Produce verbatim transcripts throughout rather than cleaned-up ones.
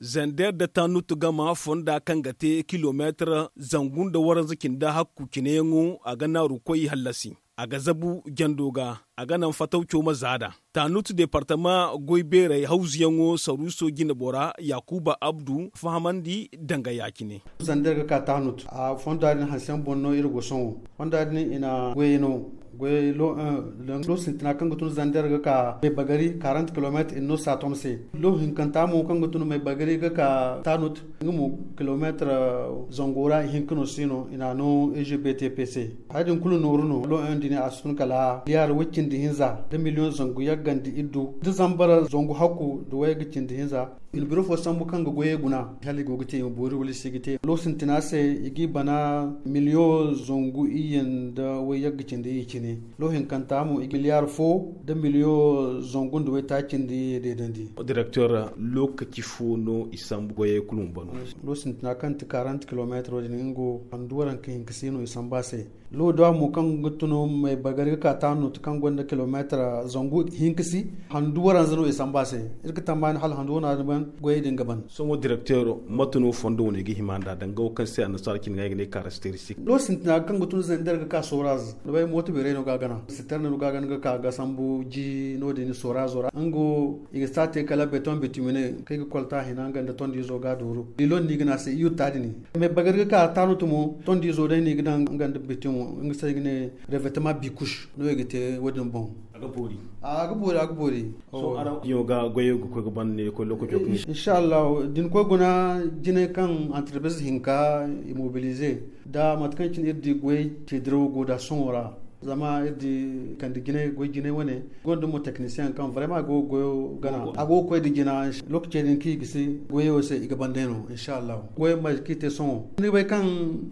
Zander da Tanut gama fonda kaŋ ga te kilomeetar zangu nda waranza cindi hakku cineyaŋo, a ga naaru koy hallasi. A ga zabu jando ga, a ga naŋ fatawco ma zaada. Tanut departama goy beerey hawzuyaŋo saruuso jine bora Yakuba Abdu fahamandi danga ya-cine. Zander ga ka Tanut, a fonda din hanse yaŋ boŋ no iri go sohõ. Fonda din i na goyey no. Goyey lo, eh, lo sintina kaŋ ga tun Zander ga ka Maibagari quarante kilomètres i na no Satom se. Lo hinkanta mo kaŋ ga tun Maibagari ga ka Tanut, nga mo kilomètre, eh, zango ra ihinka no si no i na no E G B T P se. Hay din kulu nooru no, lo en dini a si tun kala liyaar way cindi hinza da miliyoŋ zangu yaggandi iddu da zambar zangu hakku da way ga cindi hinza. I na biro fo sambu kaŋ ga goyey guna, hala i go ga te i ma boori wala i si ga te. Lo sintina se, i g'i bana miliyoŋ zangu iyye nda way yagga cindi iyye cine. Lo hinkanta mo, i ga miliyaar fo da miliyoŋ zangu nda way taaci cindi iyye deedandi. Directeur, lokaci fo no i sambu goyey kulu ma bano? Lo sintina kaŋ ti quarante kilomètres din, nga wo handu waranka hinka si no i sambu a se. Lo da mo kaŋ ga tun Maibagari ga ka Tanut kaŋ gonda kilomètre zangu hinka si, handu waranza no i sambu a se. Iri ga tammaani hala handu wana din ban, goyey din ga ban. Sohõ directeur, mate no fondo wane ga hima nd'a danga wo kaŋ se annasaara cine ga ay ga ne caractéristique? Lo sintina kaŋ ga tun Zander ga ka Soraz, ni bay mooto beerey no ga a gana. Siterne no ga a gana ga ka ga sambu ji no-din Sorazo ra. Nga wo, i ga si a te kala béton bituminé kaŋ i ga kolta hina nga nda tondiizo ga a dooru. Lilon no i ga ne a se yutta din. Maibagari ga ka Tanut mo, tondiizo day no i ga daŋ nga nda bitum, nga se i ga ne revêtement bicouche no i ga te wo-din boŋ. A ga boori. A ga boori, a ga boori. Sohõ araŋ diyaŋo ga goyey ga koy ga ban ne ga koy lokaco kaŋ? Inshallah, da ni koy guna jinay kaŋ entreprise hinka i mobiliser, da mate kaŋ cine iri di goyey te dirawo go da sohõ ra. Zama iri di kande jinay, goy jinay wane, gonda mo technicien kaŋ vraiment a go ga goyo gana. A go ga koy da jina, lokaci din kaŋ i gisi goyo se i ga ban day no, inshallah. Goyo ma kaŋ i te sohõ. Ni bay kaŋ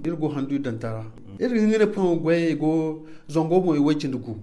iri go handu iddanta ra. Iri ga hin ga ne sohõ goyey go zango mo i way cindi gu.